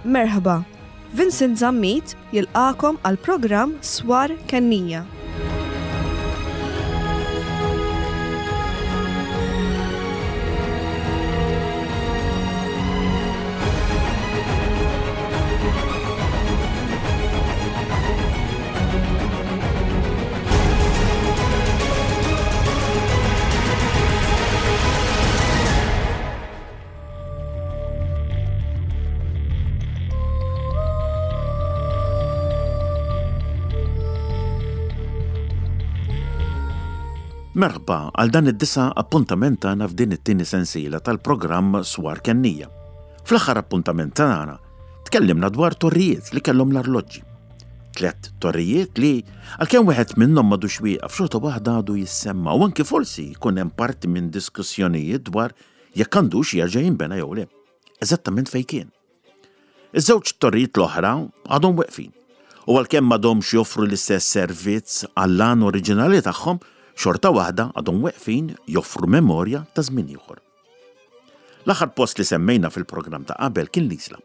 Merħba, Vincent Zammit jilqagħkom għall-programm Swar Kennija. Merħba għal dan id-disa' appuntament tagħna f'din it-tieni sensiela tal-programm Swar Kennija. Fl-aħħar appuntament tagħna tkellimna dwar torrijiet li kellhom l-arloġġi. Tlett torrijiet li, għalkemm wieħed minnhom m'għadux wieqaf, xorta waħda għadu jissemma u anki forsi jkun hemm parti minn diskussjonijiet dwar jekk għandux jerġa' jinbena jew le. Eżattament fejn kien. Iż-żewġ torrijiet l-oħra għadhom weqfin u għalkemm m'għadhomx joffru l-istess servizz għall-għan oriġinali tagħhom, xorta waħda għadhom weqfin joffru memorja ta' żmien ieħor. L-aħħar post li semmejna fil-programm ta' qabel kien l-Isla,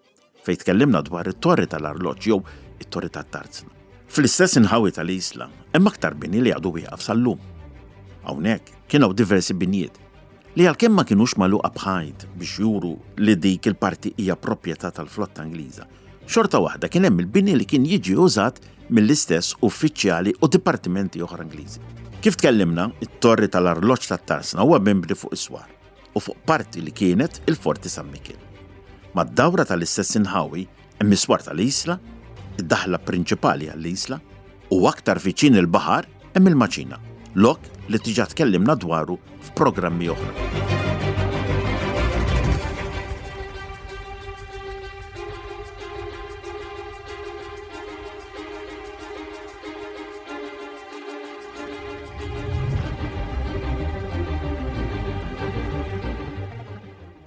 fejn tkellimna dwar it-Torri tal-Arloġġ jew it-Torri tat-Tarzna. Fl-istess inħawi tal-Isla hemm aktar bini li għadu wieqaf sal-lum. Hawnhekk kien hawn diversi binjiet li għalkemm ma kinux magħluqa b'ħajt biex juru li dik il-parti hija proprjetà tal-flotta Ingliża, xorta waħda kien hemm il-bini li kien jiġi użat mill-istess uffiċjali u dipartimenti oħra Ingliżi. Kif tkellimna, it-Torri tal-Arloġġ tat-Tarsna huwa mibni fuq is-swar u fuq parti li kienet il-Forti San Mikiel. Mad-dawra tal-istess inħawi hemm is-swar tal-Isla, id-daħla prinċipali għall-Isla, u aktar viċin il-baħar hemm il-Maċina, lok li diġà tkellimna dwaru f'programmi oħra.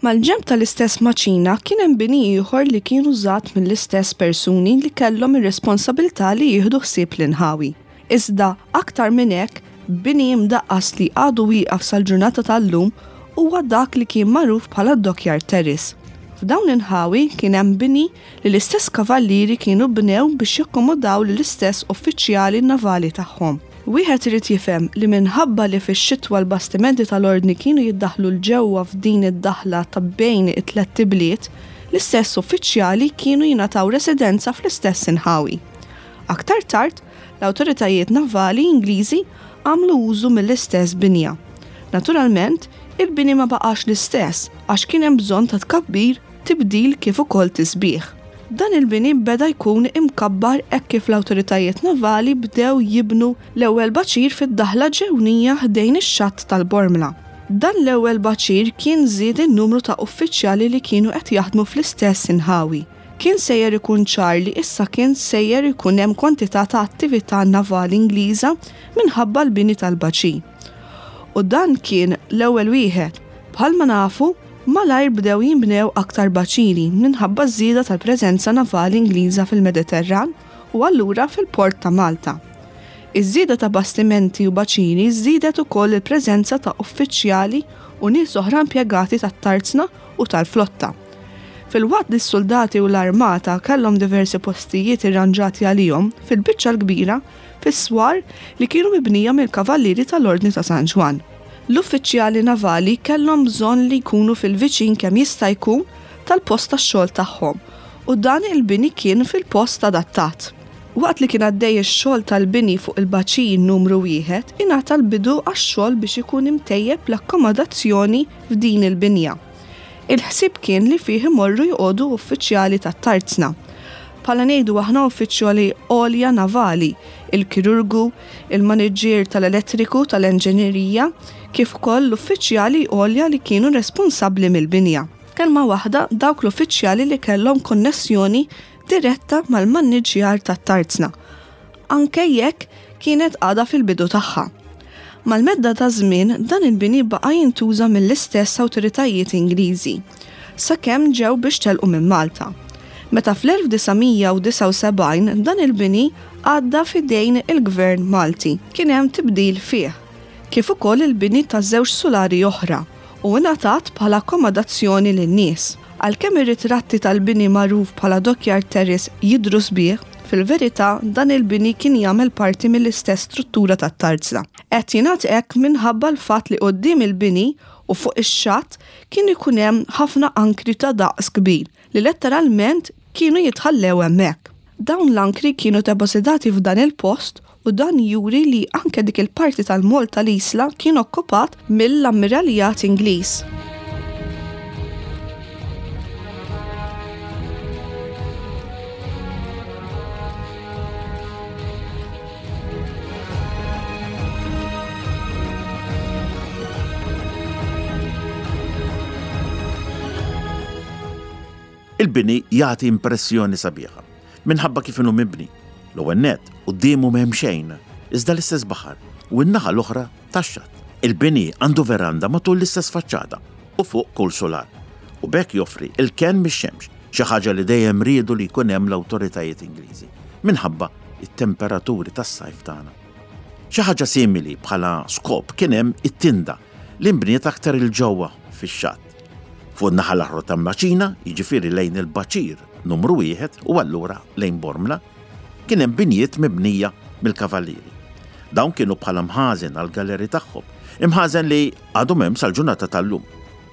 Mal-ġenb tal-istess maċina kien hemm bini ieħor li kien użat mill-istess persuni li kellhom ir-responsabilità li jieħdu ħsieb l-inħawi. Iżda, aktar minn hekk, bini imdaqqas li għadu wieqaf sal-ġurnata tal-lum huwa dak li kien magħruf bħala d-Dockyard Terrace. F'dawn l-inħawi kien hemm bini li l-istess kavallieri kienu bnew biex jakkomodaw lill-istess uffiċjali navali tagħhom. Wieħed irid jifhem li minħabba li fix-xitwa l-bastimenti tal-Ordni kienu jiddaħħlu 'l ġewwa f'din id-daħla ta' bejn it-tlett ibliet, l-istess uffiċjali kienu jingħataw residenza fl-istess inħawi. Aktar tard, l-awtoritajiet navali Ingliżi għamlu użu mill-istess binja. Naturalment, il-bini ma baqax l-istess għax kien hemm bżonn ta' tkabbir tibdil kif ukoll tisbiħ. Dan il-bini beda jkun imkabbar hekk kif l-awtoritajiet navali bdew jibnu l-ewwel baċir fid-daħla ġewnija ħdejn ix-xatt tal-Bormla. Dan l-ewwel baċir kien żied in-numru ta' uffiċjali li kienu qed jaħdmu fl-istess inħawi. Kien sejjer ikun ċar li issa kien sejjer ikun hemm kwantità ta' attività navali Ingliża minħabba l-bini tal-baċir. U dan kien l-ewwel wieħed. Bħalma nafu, malajr bdew jinbnew aktar baċiri minħabba ż-żieda tal-preżenza navali Ingliża fil-Mediterran u allura fil-port ta' Malta. Iż-żieda ta' bastimenti u baċiri żiedet ukoll il-preżenza ta' uffiċjali u nies oħra impjegati tat-tarzna u tal-flotta. Filwaqt li s-suldati u l-armata kellhom diversi postijiet irranġati għalihom, fil-biċċa l-kbira fis-swar li kienu mibnija mill-Kavallieri tal-Ordni ta' San Ġwann. L-uffiċjali navali kellhom bżonn li jkunu fil-viċin kemm jista' jkun tal-post tax-xogħol tagħhom u dan il-bini kien fil-post adattat. Waqt li kien għaddej ix-xogħol tal-bini fuq il-baċir numru wieħed ingħata l-bidu għax-xogħol biex ikun imtejjeb l-akkomodazzjoni f'din il-binja. Il-ħsieb kien li fih imorru joqogħdu uffiċjali tat-tarzna. Bħala ngħidu aħna uffiċjali għolja navali, il-kirurgu, il-maniġġier tal-elettriku tal-enġinerija, kif ukoll l-uffiċjali għolja li kienu responsabbli mill-binja. F'kelma waħda, dawk l-uffiċjali li kellhom konnessjoni diretta mal-maniġġjar tat-tarzna. anke jekk kienet għadha fil-bidu tagħha. Mal-medda taż-żmien dan il-bini baqa' jintuża mill-istess awtoritajiet Ingliżi, sakemm ġew biex telqu minn Malta. Meta fl-1979 dan il-bini għadda f'idejn il-Gvern Malti, kien hemm tibdil fih, kif ukoll il-bini ta' żewġ sulari oħra, u ingħatat bħala akkomodazzjoni lin-nies. Għalkemm ir-ritratti tal-bini magħruf bħala Dockyard Terrace jidhru sbieħ, fil-verità dan il-bini kien jagħmel parti mill-istess struttura tat-tarzna. Qed jingħad hekk minħabba l-fatt li quddiem il-bini u fuq ix-xatt kien ikun hemm ħafna ankri ta' daqs kbir li letteralment kienu jitħallew hemmhekk. Dawn l-ankri kienu depożitati f'dan il-post u dan juri li anke dik il-parti tal-moll tal-Isla kien okkupat mill-Ammiraljat Ingliż. Il-bini jagħti impressjoni sabiħa minħabba kif inhu mibni. L-ewwel nett, quddiemu m'hemm xejn, iżda l-istess baħar u n-naħa l-oħra tax-xatt. Il-bini għandu veranda matul l-istess faċċata u fuq kull sular, u b'hekk joffri l-kenn mix-xemx, xi ħaġa li dejjem riedu li jkun hemm l-awtoritajiet Ingliżi, minħabba t-temperaturi tas-sajf tagħna. Xi ħaġa simili bħala skop kien hemm it-tinda li nbniet aktar 'il ġewwa fix-xatt. Fuq in-naħa l-oħra tal-Maċina, jiġifieri lejn il-Baċir Numru Wieħed u allura lejn Bormla, kien hemm binjiet mibnija mill-Kavallieri. Dawn kienu bħala mħażen għall-galeri tagħhom, imħażen li għadhom hemm sal-ġurnata tal-lum.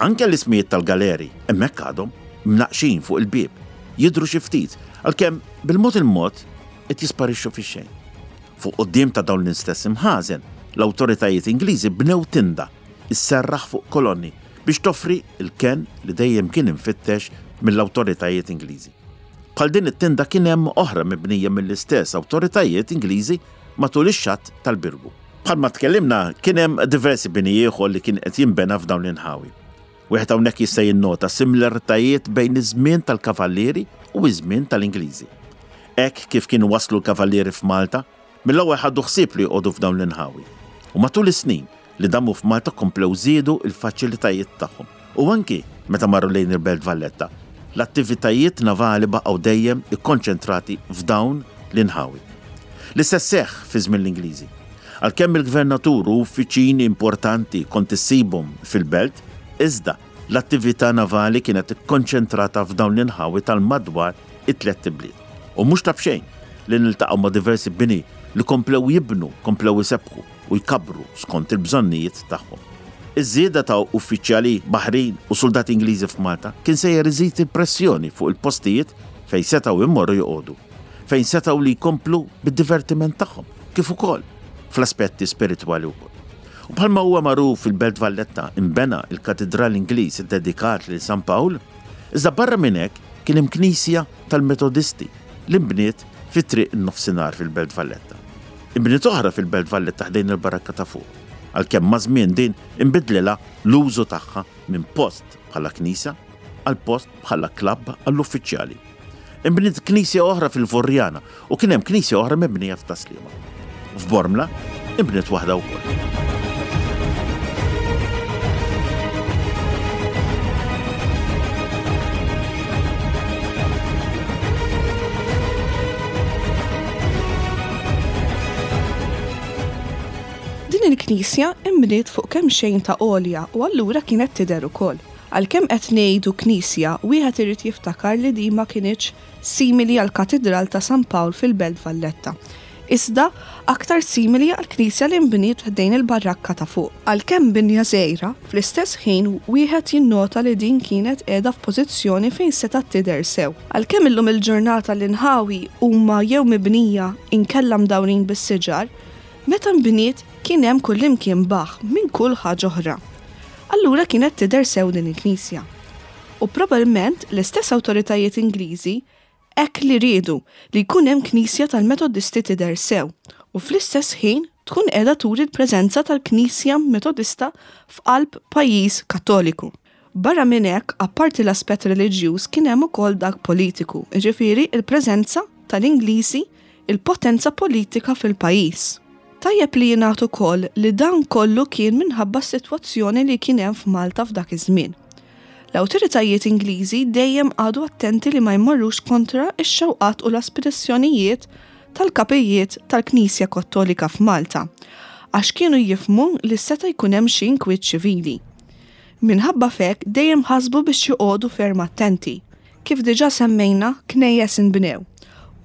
Anke l-ismijiet tal-galeri hemmhekk għadhom, mnaqqxin fuq il-bieb, jidhru xi ftit, għalkemm bil-mod il-mod qed jisparixxu fix-xejn. Fuq quddiem ta' dawn l-istess imħażen, l-awtoritajiet Ingliżi bnew tinda sserraħ fuq kolonni biex toffri l-kenn li dejjem kien imfittex mill-awtoritajiet Ingliżi. Bħal din it-tinda kien hemm oħra mibnija mill-istess awtoritajiet Ingliżi matul ix-xatt tal-Birgu. Bħalma tkellimna, kien hemm diversi bini ieħor li kien qed jinbena f'dawn l-inħawi. Wieħed hawnhekk jista' jinnota similaritajiet bejn iż-żmien tal-Kavallieri u ż-żmien tal-Ingliżi. Hekk kif kienu waslu l-Kavallieri f'Malta, Mill-ewwel ħadu ħsieb li joqogħdu f'dawn l-inħawi u matul is-snin li damu f'Malta komplew żiedu l-faċilitajiet tagħhom u anki meta marru lejn il-Belt Valletta, l-attivitajiet navali baqgħu dejjem ikkonċentrati f'dawn l-inħawi. L-istess seħħ fi żmien l-Ingliżi. Għalkemm il-gvernatur u uffiċini importanti kont issibhom fil-Belt, iżda l-attività navali kienet ikkonċentrata f'dawn l-inħawi tal-madwar it-tlett ibliet. U mhux ta' b'xejn li niltaqgħu ma' diversi bini li komplew jibnu, komplew isebbħu u jkabbru skont il-bżonnijiet tagħhom. Iż-żieda ta' uffiċjali baħrin u suldati Ingliżi f'Malta kien sejjer iżid il-pressjoni fuq il-postijiet fejn setgħu jmorru joqogħdu, fejn setgħu li jkomplu bid-divertiment tagħhom, kif ukoll fl-aspetti spiritwali wkoll. U bħalma huwa magħruf fil-Belt Valletta inbena l-Katidral Ingliż iddedikat lil San Pawl, Iżda barra minn hekk kien hemm knisja tal-Metodisti li nbniet fi Triq in-Nofsinhar fil-Belt Valletta. Inbniet oħra fil-Belt Valletta ħdejn il-Barakka ta' Fuq, għalkemm maż-żmien din inbidlilha l-użu tagħha minn post bħala knisja għal post bħala klabb għall-uffiċjali. Inbniet knisja oħra fil-Furjana u kien hemm knisja oħra mibnija f'Tas-Sliema. F'Bormla inbniet waħda wkoll. Din il-knisja inbniet fuq kemxejn ta' għolja u allura kienet tidher ukoll. Għalkemm qed ngħidu knisja, wieħed irid jiftakar li din ma kinitx simili għall-Katidral ta' San Pawl fil-Belt Valletta, iżda aktar simili għall-knisja li nbniet ħdejn il-Barrakka ta' Fuq. Għalkemm binja żgħira, fl-istess ħin wieħed jinnota li din kienet qiegħda f'pożizzjoni fejn setgħet tidher sew. Għalkemm illum il-ġurnata l-inħawi huma jew mibnija inkella mdawrin bis-siġar, meta nbniet kien hemm kullimkien baħħ minn kull ħaġa oħra. Allura kienet tidher sew din il-knisja. U probabilment l-istess awtoritajiet Ingliżi hekk li riedu, li jkun hemm knisja tal-Metodisti tidher sew u fl-istess ħin tkun qiegħda turi l-preżenza tal-Knisja Metodista f'qalb pajjiż Kattoliku. Barra minn hekk, apparti l-aspett reliġjuż kien hemm ukoll dak politiku, jiġifieri l-preżenza tal-Ingliżi, il-potenza politika fil-pajjiż. Tajjeb li jingħad ukoll li dan kollu kien minħabba s-sitwazzjoni li kien hemm f'Malta f'dak iż-żmien. L-awtoritajiet Ingliżi dejjem qagħdu attenti li ma jmorrux kontra x-xewqat u l-aspirazzjonijiet tal-kapijiet tal-Knisja Kattolika f'Malta, għax kienu jifhmu li seta' jkun hemm xi inkwiet ċivili. Minħabba f'hekk dejjem ħasbu biex joqogħdu ferm attenti. Kif diġà semmejna, knejjes inbnew.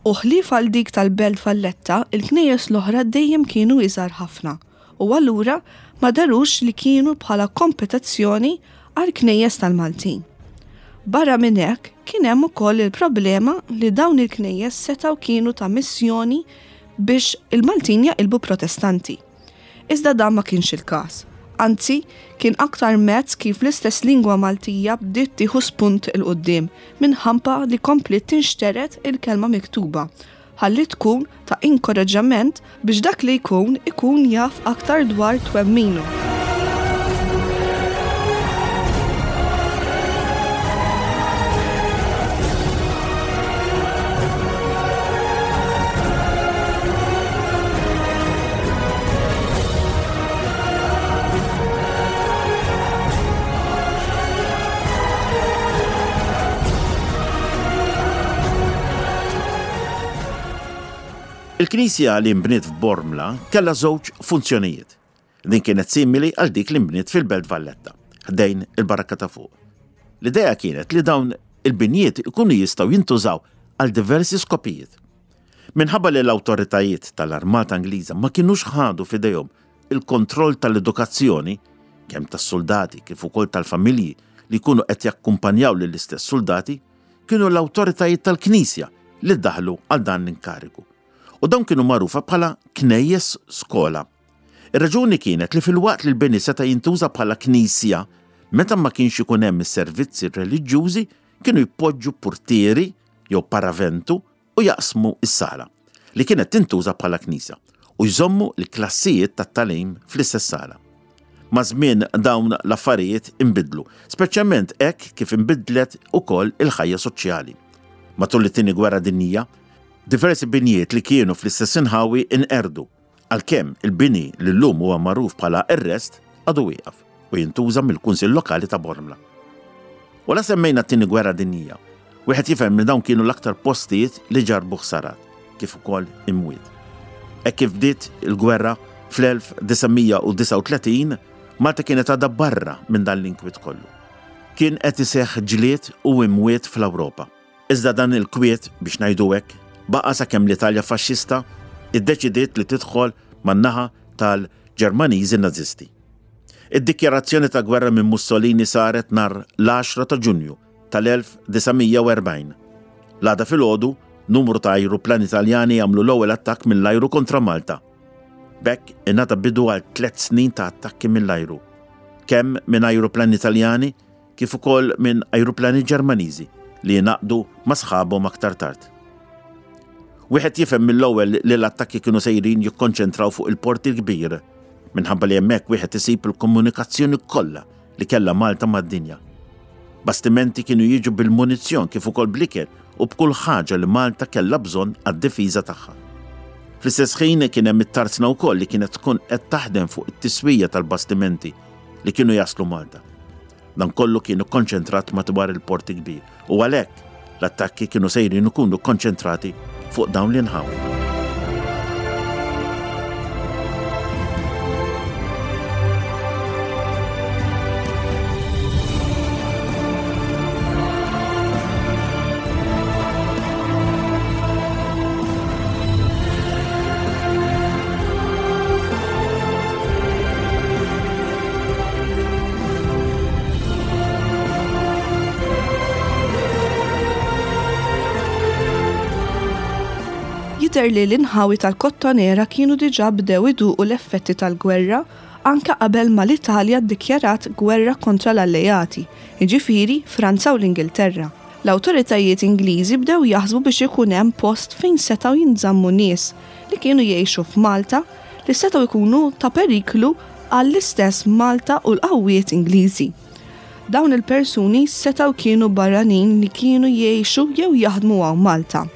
U ħlief għal dik tal-Belt Valletta, il-knejjes l-oħra dejjem kienu iżgħar ħafna u allura ma dherux li kienu bħala kompetizzjoni għall-knejjes tal-Maltin. Barra minn hekk, kien hemm ukoll il-problema li dawn il-knejjes setgħu kienu ta' missjoni biex il-Maltin jaqilbu Protestanti. Iżda dan ma kienx il-każ. Anzi, kien aktar mezz kif l-istess lingwa Maltija bdiet tieħu spunt 'il quddiem minħabba li kompliet tinxtered il-kelma miktuba ħalli tkun ta' inkoraġġament biex dak li jkun ikun jaf aktar dwar twemminu. Il-knisja li nbniet f'Bormla kellha żewġ funzjonijiet. Din kienet simili għal dik li nbniet fil-Belt Valletta, ħdejn il-Barrakka ta' fuq. L-idea kienet li dawn il-binjiet ikunu jistgħu jintużaw għal diversi skopijiet. Minħabba li l-awtoritajiet tal-Armata Ingliża ma kinux ħadu f'idejhom il-kontroll tal-edukazzjoni, kemm tas-suldati kif ukoll tal-familji li jkunu qed jakkumpanjaw lill-istess suldati, kienu l-awtoritajiet tal-Knisja li ddaħlu għal dan l-inkarigu. U dawn kienu magħrufa bħala knejjes skola. Ir-raġuni kienet li filwaqt li l-bini seta' jintuża bħala knisja, meta ma kienx ikun hemm is-servizzi reliġjużi kienu jpoġġu purtieri jew paraventu u jaqsmu s-sala, li kienet tintuża bħala knisja, u jżommu l-klassijiet tat-tagħlim fl-istess sala. Maż-żmien dawn l-affarijiet inbidlu, speċjalment hekk kif inbidlet ukoll il-ħajja soċjali. Matul it-Tieni Gwerra Dinjija, diversi binjiet li kienu fl-istess inħawi inqerdu Għalkemm il-bini li llum huwa magħruf bħala R-Rest għadu wieqaf u jintuża mill-Kunsill Lokali ta' Bormla. U la semmejna t-Tieni Gwerra Dinjija, wieħed jifhem li dawn kienu l-aktar postijiet li ġarrbu ħsarat, kif ukoll imwiet. Hekk kif bdiet il-gwerra fl-1939, Malta kienet għadha barra minn dan l-inkwiet kollu. Kien qed iseħħ ġlied u imwiet fl-Ewropa. Iżda dan il-kwiet, biex ngħidu hekk, baqa' sakemm l-Italja Faxxista ddeċidiet li tidħol man-naħa tal-Ġermaniżi Nażisti. Id-dikjarazzjoni ta' gwerra minn Mussolini saret nhar l-għaxra ta' Ġunju tal-1940. L-għada filgħodu, numru ta' ajruplani Taljani għamlu l-ewwel attakk mill-ajru kontra Malta. B'hekk ingħata bidu għal tlett snin ta' attakki mill-ajru, kemm minn ajruplani Taljani kif ukoll minn ajruplani Ġermaniżi li ingħaqdu ma' sħabhom aktar tard. Wieħed jifhem mill-ewwel li l-attakki kienu sejrin jikkonċentraw fuq il-Port il-Kbir, minħabba li hemmhekk wieħed isib il-komunikazzjoni kollha li kellha Malta mad-dinja. Bastimenti kienu jiġu bil-munizzjon kif ukoll bl-ikel u b'kull ħaġa li Malta kellha bżonn għad-difiża tagħha. Fl-istess ħin kien hemm it-tarzna wkoll li kienet tkun qed taħdem fuq it-tiswija tal-bastimenti li kienu jaslu Malta. Dan kollu kien ikkonċentrat madwar il-Port il-Kbir u għalhekk l-attakki kienu sejrin ikunu kkonċentrati fuq dawn l-inħawi. Jidher li l-inħawi tal-Kottonera kienu diġà bdew iduqu l-effetti tal-gwerra anke qabel ma l-Italja ddikjarat gwerra kontra l-Alleati, jiġifieri Franza u l-Ingilterra. L-awtoritajiet Ingliżi bdew jaħsbu biex ikun hemm post fejn setgħu jinżammu nies li kienu jgħixu f'Malta li setgħu jkunu ta' periklu għall-istess Malta u l-qawwiet Ingliżi. Dawn il-persuni setgħu kienu barranin li kienu jgħixu jew jaħdmu hawn Malta.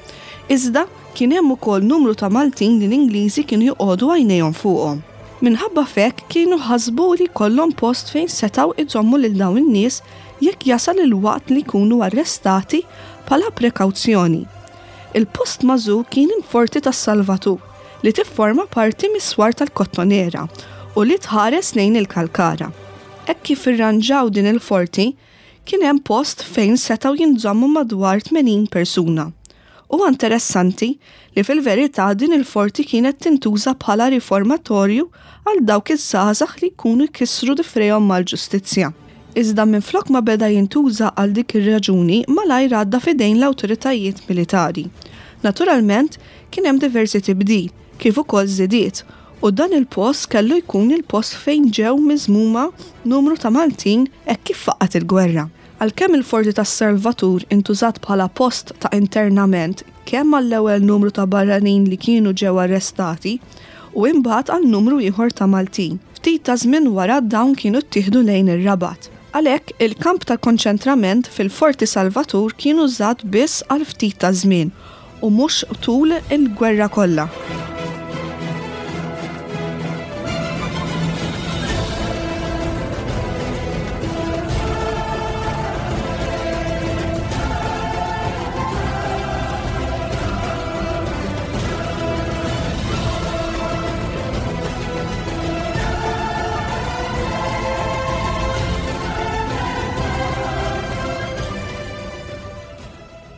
Iżda, kien hemm ukoll numru ta' Maltin li l-Ingliżi kienu joqogħdu għajnejhom fuqhom. Minħabba f'hekk kienu ħasbu li jkollhom post fejn setgħu jżommu lil dawn in-nies jekk jasal il-waqt li jkunu arrestati bħala prekawzjoni. Il-post magħżul kien il-Forti tas-Salvatur, li tifforma parti mis-swar tal-Kottonera u li tħares lejn il-Kalkara. Hekk kif irranġaw din il-forti, kien hemm post fejn setgħu jinżammu madwar 80 persuna. Huwa interessanti li fil-verità din il-forti kienet tintuża bħala riformatorju għal dawk iż-żgħażagħ li jkunu jkissru difrejhom mal-ġustizzja. Iżda minflok ma beda jintuża għal dik ir-raġuni malajr għadda f'idejn l-awtoritajiet militari. Naturalment, kien hemm diversi tibdil, kif ukoll żidiet, u dan il-post kellu jkun il-post fejn ġew miżmuma numru ta' Maltin hekk kif faqqgħet il-gwerra. Għalkemm il-Forti tas-Salvatur intużat bħala post ta' internament kemm għall-ewwel numru ta' barranin li kienu ġew arrestati u imbagħad għal numru ieħor ta' Maltin. Ftit ta' żmien wara dawn kienu ttieħdu lejn ir-Rabat. Għalhekk, il-kamp ta' konċentrament fil-Forti Salvatur kien użat biss għal ftit ta' żmien u mhux tul il-gwerra kollha.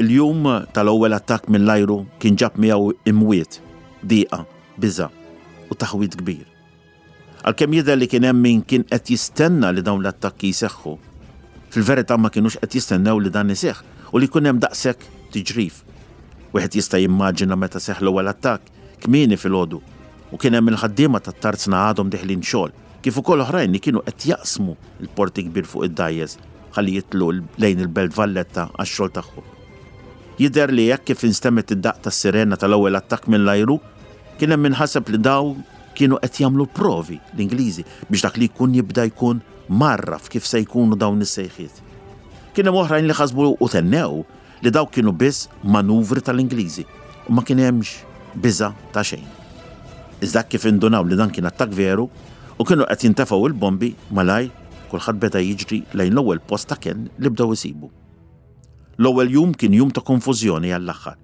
Il-jum tal-ewwel attakk mill-ajru kien ġab miegħu imwiet, diqa, biża' u taħwid kbir. Għalkemm jidher li kien hemm min kien qed jistenna li dawn l-attakki jseħħu, fil-verità ma kinux qed jistennew li dan iseħħ u li jkun hemm daqshekk tiġrif. Wieħed jista' jimmaġina meta seħħ l-ewwel attakk, kmieni filgħodu, u kien hemm il-ħaddiema tat-tarzna għadhom deħlin xogħol, kif ukoll oħrajn li kienu qed jaqsmu l-Port il-Kbir fuq id-dgħajjes ħalli jidħlu lejn il-Belt Valletta għax-xogħol tagħhom. Jidher li hekk kif instemgħet id-daqq tas-sirena tal-ewwel attakk mill-ajru, kien hemm min ħaseb li dawn kienu qed jagħmlu provi, l-Ingliżi, biex dak li jkun jibda jkun mgħarraf kif se jkunu dawn is-sejħiet. Kien hemm oħrajn li ħasbu u tennew li dawk kienu biss manuvri tal-Ingliżi u ma kien hemmx biża' ta' xejn. Iżda hekk kif indunaw li dan kien attakk veru u kienu qed jintefgħu l-bombi, malajr kulħadd beda jiġri lejn l-ewwel post ta' kenn li bdew isibu. L-ewwel jum kien jum ta' konfużjoni għall-aħħar,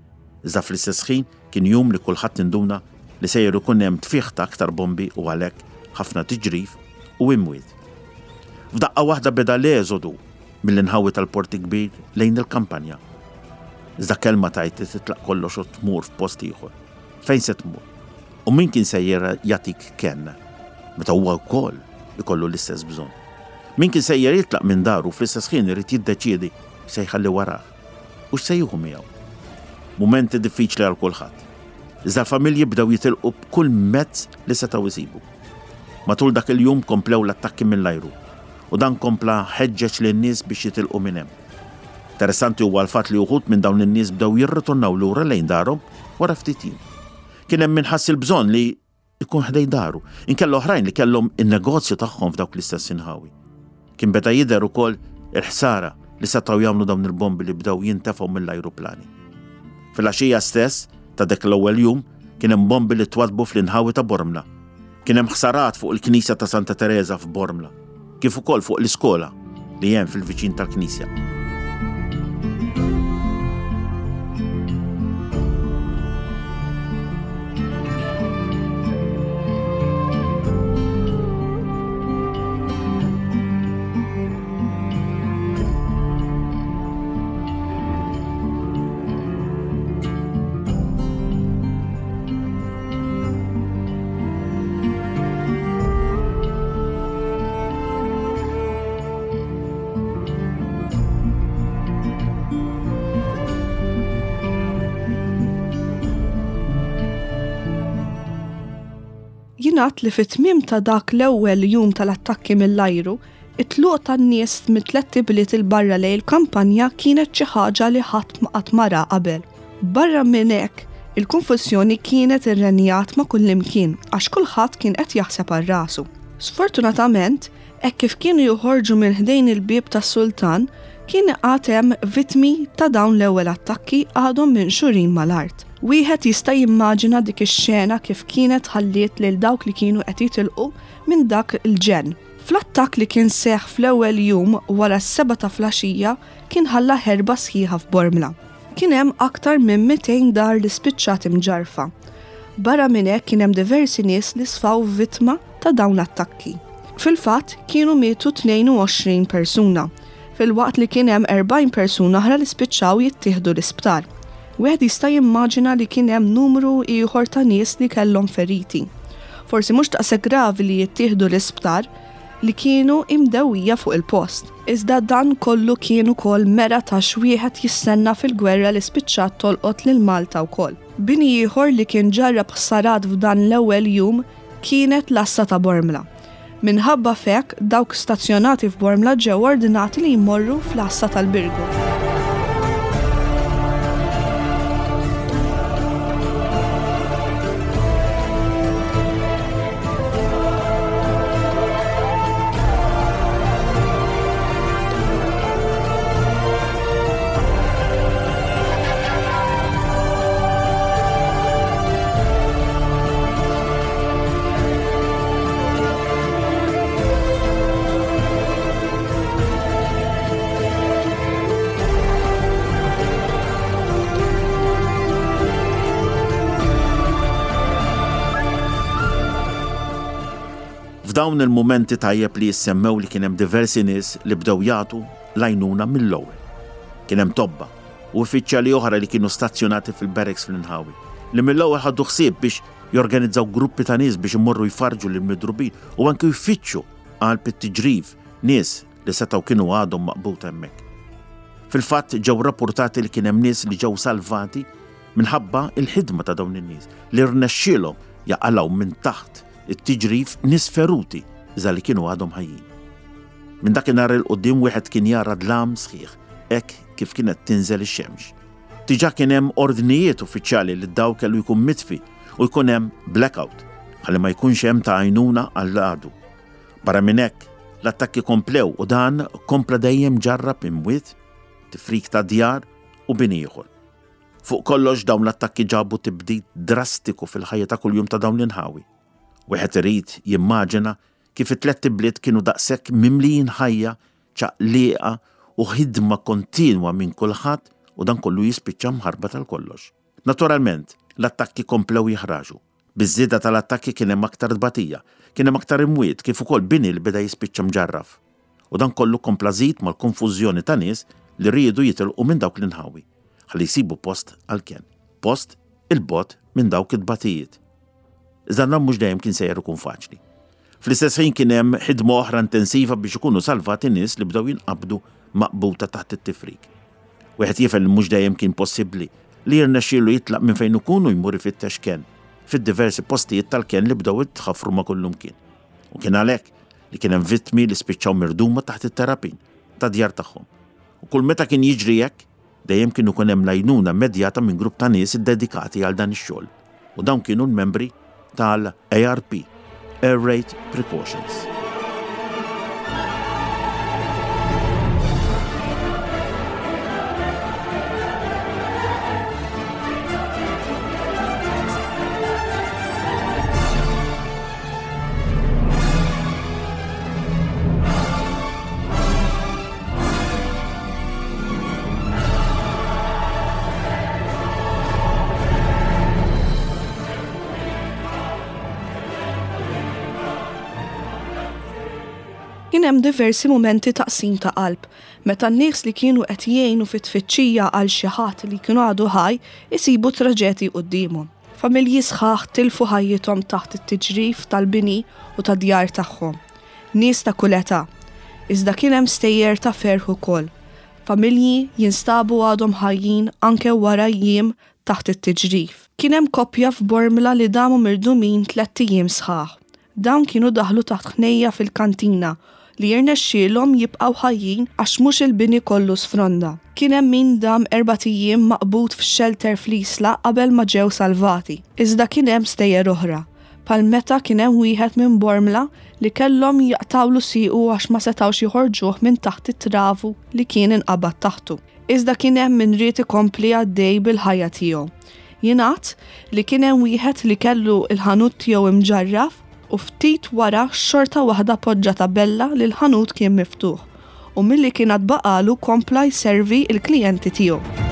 iżda fl-istess ħin kien jum li kulħadd induna li sejjer ikun hemm tfigħ ta' aktar bombi u għalhekk ħafna tiġrif u imwiet. F'daqqa waħda beda l-eżodu mill-inħawi tal-Port il-Kbir lejn il-kampanja. Iżda kelma tgħid li titlaq kollox u tmur f'post ieħor. Fejn se tmur? U min kien sejjer jagħtik kenn meta huwa wkoll ikollu l-istess bżonn? Min kien sejjer jitlaq minn daru fl-istess ħin irid jiddeċiedi x'se jħalli warah u x'se jieħu miegħu. Mumenti diffiċli għal kulħadd. Iżda l-familji bdew jitilqu b'kull mezz li setgħu jsibu. Matul dak il-jum komplew l-attakki mill-ajru u dan kompla ħeġġeġ lin-nies biex jitilqu minn hemm. Interessanti huwa l-fatt li uħud minn dawn in-nies bdew jirritornaw lura lejn darhom wara ftit jiem. Kien hemm min ħass il-bżonn li jkun ħdejn daru, inkella oħrajn li kellhom in-negozju tagħhom f'dawk l-istess inħawi. Kien beda jidher ukoll il-ħsara li setgħu jagħmlu dawn il-bombi li bdew jintefgħu mill-ajruplani. Filgħaxija stess ta' dak l-ewwel jum kien hemm bombi li twaddbu fl-inħawi ta' Bormla. Kien hemm ħsarat fuq il-Knisja ta' Santa Tereża f'Bormla, kif ukoll fuq l-iskola li hemm fil-viċin tal-knisja. Jingħad li fit-tmiem ta' dak l-ewwel jum tal-attakki mill-ajru, it-tluq tan-nies mit-tlett ibliet 'il barra lejn il-kampanja kienet xi ħaġa li ħadd ma qatt ma ra qabel. Barra minn hekk, il-konfużjoni kienet irrenjat ma' kullimkien għax kulħadd kien qed jaħseb għal rasu. Sfortunatament, hekk kif kienu joħorġu minn ħdejn il-bieb tas-sultan, kien għad hemm vittmi ta' dawn l-ewwel attakki għadhom minxurin mal-art. Wieħed jista' jimmaġina dik ix-xena kif kienet ħalliet lil dawk li kienu qed jitilqu minn dak il-ġenn. Fl-attakk li kien seħħ fl-ewwel jum wara s-sebgħa ta' flaxija kien ħalla ħerba sħiħa f'Bormla. Kien hemm aktar minn 200 dar li spiċċat imġarrfa. Barra minn hekk kien hemm diversi nies li sfaw vittma ta' dawn l-attakki. Fil-fatt, kienu mietu 22 persuna, filwaqt li kien hemm 40 persuna oħra li spiċċaw jittieħdu l-isptar. Wieħed jista' jimmaġina li kien hemm numru ieħor ta' nies li kellhom feriti. Forsi mhux daqshekk gravi li jittieħdu l-isptar, li kienu imdewwija fuq il-post. Iżda dan kollu kien ukoll mera ta' x'wieħed jistenna fil-gwerra li spiċċat tolqot lil Malta wkoll. Bini ieħor li kien ġarrab ħsarat f'dan l-ewwel jum kienet l-għassa ta' Bormla. Minħabba f'hekk, dawk stazzjonati f'Bormla ġew ordnati li jmorru fl-għassa tal-Birgu. F'dawn il-mumenti tajjeb li jissemmew li kien hemm diversi nies li bdew jagħtu l-għajnuna mill-ewwel. Kien hemm tobba u uffiċjali oħra li kienu stazzjonati fil-barracks fl-inħawi, li mill-ewwel ħadu ħsieb biex jorganizzaw gruppi ta' nies biex imorru jfarrġu lill-midrubin u anki jfittxu qalb it-tiġrif nies li setgħu kienu għadhom maqbuta hemmhekk. Fil-fatt ġew rappurtati li kien hemm nies li ġew salvati minħabba l-ħidma ta' dawn in-nies li rnexxielhom jaqalgħu minn taħt it-tiġrif nies feruti iżda li kienu għadhom ħajjin. Minn dakinhar 'il quddiem wieħed kien jara dlam sħiħ hekk kif kienet tinżel ix-xemx. Diġà kien hemm ordnijiet uffiċjali li d-dawl kellu jkun mitfi u jkun hemm blackout ħalli ma jkunx hemm ta' għajnuna għall-għadu. Barra minn hekk, l-attakki komplew u dan kompla dejjem ġarrab imwiet, tifrik ta' djar u bini ieħor. Fuq kollox dawn l-attakki ġabu tibdil drastiku fil-ħajja ta' kuljum ta' dawn l-inħawi. Wieħed irid jimmaġina kif it-tlett ibliet kienu daqshekk mimlijin ħajja ċaqliqa u ħidma kontinwa minn kulħadd u dan kollu jispiċċa mħarbat għal kollox. Naturalment, l-attakki komplew jiħraxu. Biż-żieda tal-attakki kien hemm aktar tbatija, kien hemm aktar imwiet kif ukoll bini li beda jispiċċa mġarraf. U dan kollu kompla żid mal-konfużjoni ta' nies li riedu jitilqu minn dawk l-inħawi, ħalli jsibu post għall-kenn, post 'il bogħod minn dawk it-tbatijiet. Iżda dan mhux dejjem kien sejjer ikun faċli. Fl-istess ħin kien hemm ħidma oħra intensiva biex ikunu salvati nies li bdew jinqabdu maqbuta taħt it-tifrik. Wieħed jifhem li mhux dejjem kien possibbli li jirnexxielu jitlaq minn fejn ikun u jmur ifittex kenn fid-diversi postijiet tal-kenn li bdew jitħaffru ma' kullumkien. U kien għalhekk li kien hemm vittmi li spiċċaw mirduma taħt it-terrapin tad-djar tagħhom. U kull meta kien jiġri hekk, Dejjem kien ikun hemm l-għajnuna immedjata minn grupp ta' nies iddedikati għal dan ix-xogħol, u dawn kienu l-membri tal-ARP, Air Raid Precautions. Kien hemm diversi mumenti ta' qsim ta' qalb, meta n-nies li kienu qed jgħinu fit-tfittxija għal xi ħadd li kienu għadu ħaj isibu traġedji quddiemhom. Familji sħaħ tilfu ħajjithom taħt it-tiġrif tal-bini u tad-djar tagħhom. Nies ta' kull età. Iżda kien hemm stejjer ta' ferħ ukoll. Familji jinstabu għadhom ħajjin anke wara jiem taħt it-tiġrif. Kien hemm koppja f'Bormla li damu mirdumin tlett ijiem sħaħ. Dawn kienu daħlu taħt ħnejja fil-kantina li jirnexxielhom jibqgħu ħajjin għax mhux il-bini kollu sfronda. Kien hemm min dam erbat ijiem maqbud f'xelter fl-Isla qabel ma ġew salvati. Iżda kien hemm stejjer oħra. Bħal meta kien hemm wieħed minn Bormla li kellhom jaqtgħulu siequ għax ma setgħux joħorġuh minn taħt it-travu li kien inqabad taħtu. Iżda kien hemm min ried ikompli għaddej bil-ħajja tiegħu. Jingħad li kien hemm wieħed li kellu l-ħanut tiegħu imġarraf u ftit wara xorta waħda poġġa tabella li l-ħanut kien miftuħ u milli kien għad baqagħlu kompla jservi l-klijenti tiegħu.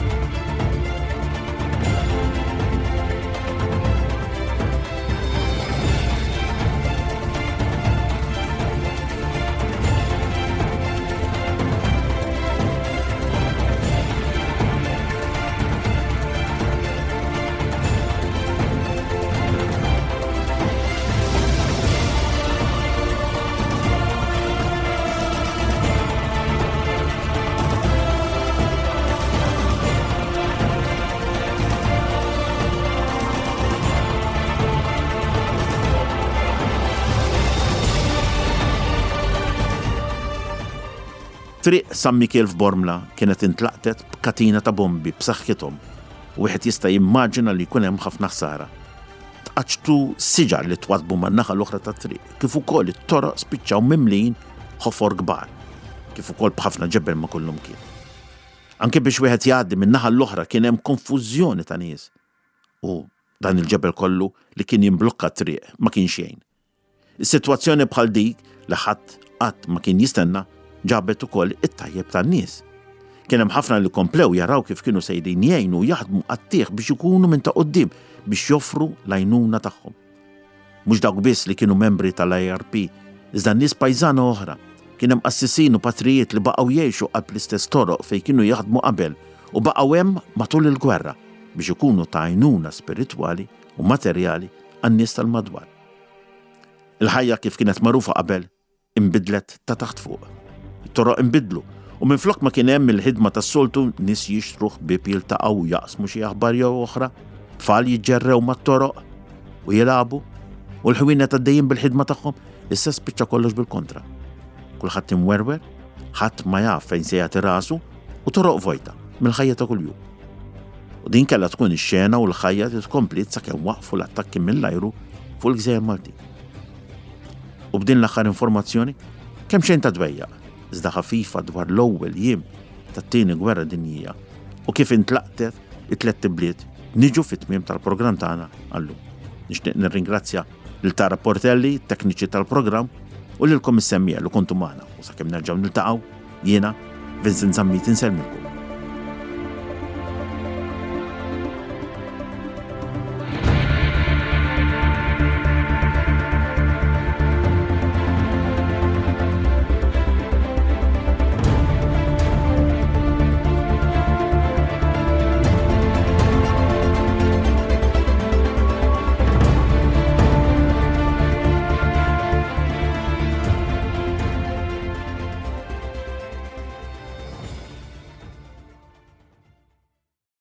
Triq San Mikiel f'Bormla kienet intlaqtet b'katina ta' bombi b'saħħithom u wieħed jista' jimmaġina li jkun hemm ħafna ħsara. Tqaċċtu siġar li twaddbu man-naħa l-oħra tat-triq kif ukoll it-toroq spiċċaw mimlijin ħofor kbar kif ukoll b'ħafna ġebel ma' kullumkien. Anke biex wieħed jgħaddi min-naħa l-oħra kien hemm konfużjoni ta' nies u dan il-ġebel kollu li kien jimblokka t-triq ma kienx jgħin. Is-sitwazzjoni bħal dik li ħadd qatt ma kien jistenna ġabet ukoll it-tajjeb tan-nies. Kien hemm ħafna li komplew jaraw kif kienu sejrin jgħinu u jaħdmu qatigħ biex ikunu minn ta' quddiem biex joffru l-għajnuna tagħhom. Mhux dawk biss li kienu membri tal-IRP, iżda nies pajżana oħra. Kien hemm qassisin u patrijiet li baqgħu jgħixu qalb l-istess toroq fejn kienu jaħdmu qabel u baqgħu hemm matul il-gwerra biex ikunu ta' għajnuna spiritwali u materjali għan-nies tal-madwar. Il-ħajja kif kienet magħrufa qabel inbidlet ta' taħt fuq. It-toroq inbidlu u minflok ma kien hemm il-ħidma tas-soltu nies jixtru ħbieb jiltaqgħu u jaqsmu xi aħbar jew oħra, tfal jiġġerrew mat-toroq u jilagħbu u l-ħwienet għaddejjin bil-ħidma tagħhom, issa spiċċa kollox bil-kontra. Kulħadd imwerwer, ħadd ma jaf fejn se jagħti rasu u toroq vojta mill-ħajja ta' kuljum. U din kellha tkun ix-xena u l-ħajja li tkompliet sakemm waqfu l-attakki mill-ajru fuq il-gżejjer Maltin. U b'din l-aħħar informazzjoni, kemm xejn ta' dwejjaq, iżda ħafifa dwar l-ewwel jiem tat-Tieni Gwerra Dinjija u kif intlaqtet it-tlett ibliet, niġu fit-tmiem tal-programm tagħna għallum. Nixtieq nirringrazzja lil Tara Portelli, tekniċi tal-programm, u lilkom is-semmiegħa li kontu magħna u sakemm nerġgħu niltaqgħu, jiena Vincent Zammit insellmilkom.